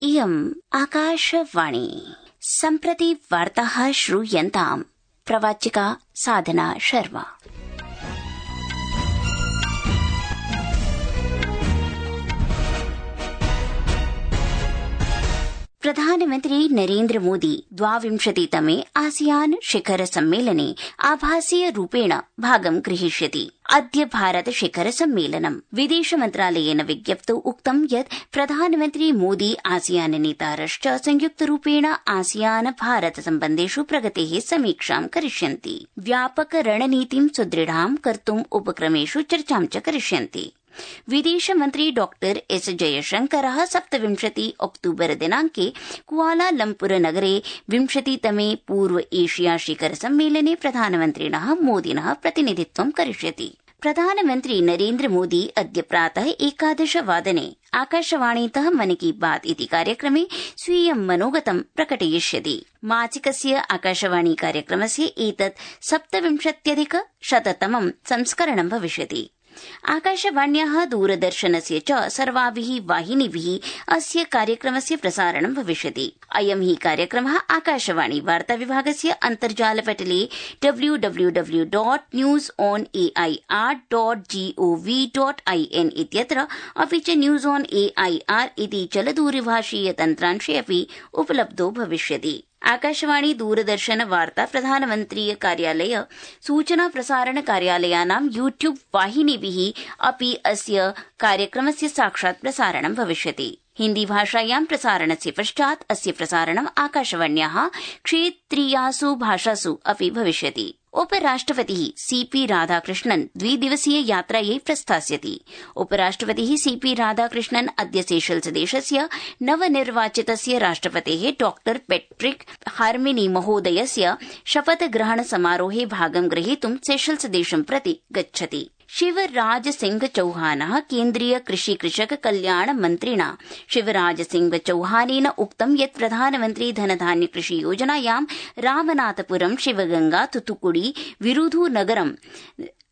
इयम् आकाशवाणी। सम्प्रति वार्ताः श्रूयन्ताम्। प्रवाचिका साधना शर्मा। प्रधानमन्त्री नरेन्द्र मोदी 22तमे आसियान शिखर सम्मेलने आभासीय रूपेण भागं ग्रहीष्यति। अद्य भारत शिखर सम्मेलनम्। विदेश मन्त्रालयेन विज्ञप्तौ उक्तं यत् प्रधानमन्त्री मोदी आसियान नेतारश्च संयुक्तरूपेण आसियान भारत सम्बन्धेषु प्रगतेः समीक्षां करिष्यन्ति। व्यापक रणनीतिं सुदृढां कर्तुम् उपक्रमेषु चर्चां च करिष्यन्ति। विदेशमन्त्री डॉक्टर एस जयशंकरः 27 अक्टूबर दिनांके कुआलालम्पुर नगरे 20तमे पूर्व एशिया शिखर सम्मेलने प्रधानमन्त्रिणः मोदिनः प्रतिनिधित्वं करिष्यति। प्रधानमन्त्री नरेन्द्र मोदी अद्य प्रातः 11 वादने आकाशवाणीतः मन की बात इति कार्यक्रमे स्वीयं मनोगतं प्रकटयिष्यति। मासिकस्य आकाशवाणी कार्यक्रमस्य एतत् 27+100तमं संस्करणं भविष्यति। आकाशवाण्याः दूरदर्शनस्य च सर्वाभिः वाहिनीभिः अस्य कार्यक्रमस्य प्रसारणं भविष्यति। अयं हि कार्यक्रमः आकाशवाणी वार्ताविभागस्य अन्तर्जालपटले www.newsonair.gov.in इत्यत्र अपि च न्यूज ऑन एआईआर इति चलदूरभाषीय तन्त्रांशे अपि उपलब्धो भविष्यति। आकाशवाणी दूरदर्शन वार्ता प्रधानमन्त्रीय कार्यालय सूचना प्रसारण कार्यालयानां यूट्यूब वाहिनीभिः अपि अस्य कार्यक्रमस्य साक्षात् प्रसारणं भविष्यति। हिन्दी भाषायां प्रसारणस्य पश्चात् अस्य प्रसारणम् आकाशवाण्याः क्षेत्रीयासु भाषासु अपि भविष्यति। उपराष्ट्रपतिः सीपी राधाकृष्णन् 2 दिवसीय यात्रायै प्रस्थास्यति। उपराष्ट्रपतिः सीपी राधाकृष्णन् अद्य सेशल्स देशस्य नवनिर्वाचितस्य राष्ट्रपतेः डॉक्टर पैट्रिक हार्मेनी महोदयस्य शपथग्रहण समारोहे भागं ग्रहीतुं सेशल्स देशं प्रति गच्छति। शिवराज सिंह चौहानः केन्द्रीय कृषि कृषक कल्याण मन्त्रिणा शिवराज सिंह चौहानेन उक्तं यत् प्रधानमन्त्री धनधान्य कृषि योजनायां रामनाथपुरं शिवगंगा तुतुकुड़ी विरुधुनगरं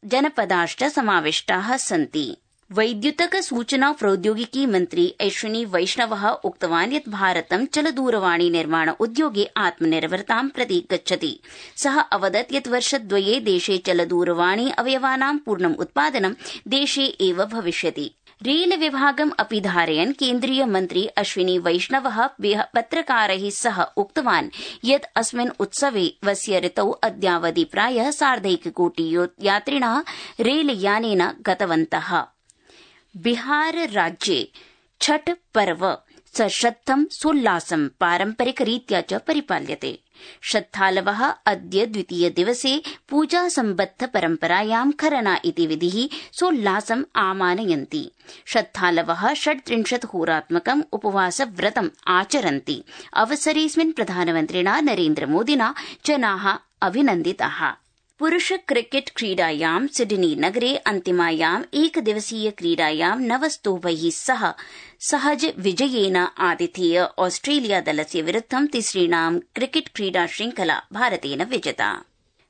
जनपदाश्च समाविष्टाः सन्ति। वैद्युतक सूचना प्रौद्योगिकी मन्त्री अश्विनी वैष्णवः उक्तवान् यत् भारतं चलदूरवाणी निर्माण उद्योगे आत्मनिर्भरतां प्रति गच्छति। सः अवदत् यत् वर्षद्वये देशे चलदूरवाणी अवयवानां पूर्णम् उत्पादनं देशे एव भविष्यति। रेल विभागम् अपि धारयन् केन्द्रीय मन्त्री अश्विनी वैष्णवः पत्रकारैः सह उक्तवान् यत् अस्मिन् उत्सवस्य ऋतौ अद्यावधि प्रायः 1.5 कोटि यात्रिणः रेलयानेन गतवन्तः। बिहार राज्ये छठ पर्व सश्रद्धं सोल्लासं पारम्परिकरीत्या च परिपाल्यते। श्रद्धालवः अद्य द्वितीय दिवसे पूजा सम्बद्ध परम्परायां खरना इति विधिः सोल्लासम् आमानयन्ति। श्रद्धालवः 36 होरात्मकम् उपवासव्रतम् आचरन्ति। अवसरेऽस्मिन् प्रधानमन्त्रिणा नरेन्द्र मोदिना जनाः अभिनन्दिताः। पुरुष क्रिकेट क्रीडायां सिडनी नगरे अन्तिमायाम् एकदिवसीय क्रीडायां 9 स्तोभैः सह सहज विजयेन आतिथेय ऑस्ट्रेलिया दलस्य विरुद्धं तिसृणां क्रिकेट क्रीडा श्रृंखला भारतेन विजिता।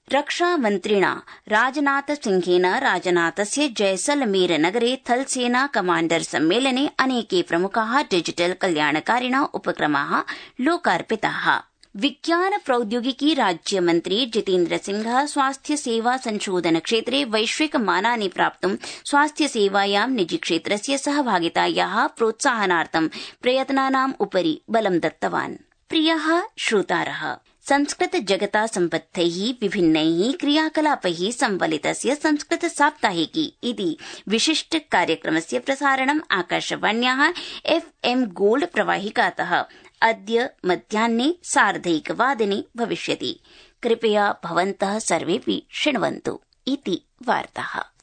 रक्षामन्त्रिणा राजनाथ सिंहेन राजनाथस्य जैसलमेर नगरे थलसेना कमाण्डर सम्मेलने अनेके प्रमुखाः डिजिटल कल्याणकारिणः उपक्रमाः लोकार्पिताः। विज्ञान प्रौद्योगिकी राज्यमन्त्री जितेन्द्र सिंहः स्वास्थ्य सेवा संशोधन क्षेत्रे वैश्विक मानानि प्राप्तुं स्वास्थ्य सेवायां निजी क्षेत्रस्य सहभागितायाः प्रोत्साहनार्थं प्रयत्नानाम् उपरि बलं दत्तवान्। प्रियः श्रोतारः, संस्कृत जगता सम्बद्धैः विभिन्नैः क्रियाकलापैः संवलितस्य संस्कृत साप्ताहिकी इति विशिष्ट कार्यक्रमस्य प्रसारणम् आकाशवाण्याः FM गोल्ड प्रवाहिकातः अद्य मध्याह्ने 1:30 वादने भविष्यति। कृपया भवन्तः सर्वेऽपि शृण्वन्तु इति वार्ताः।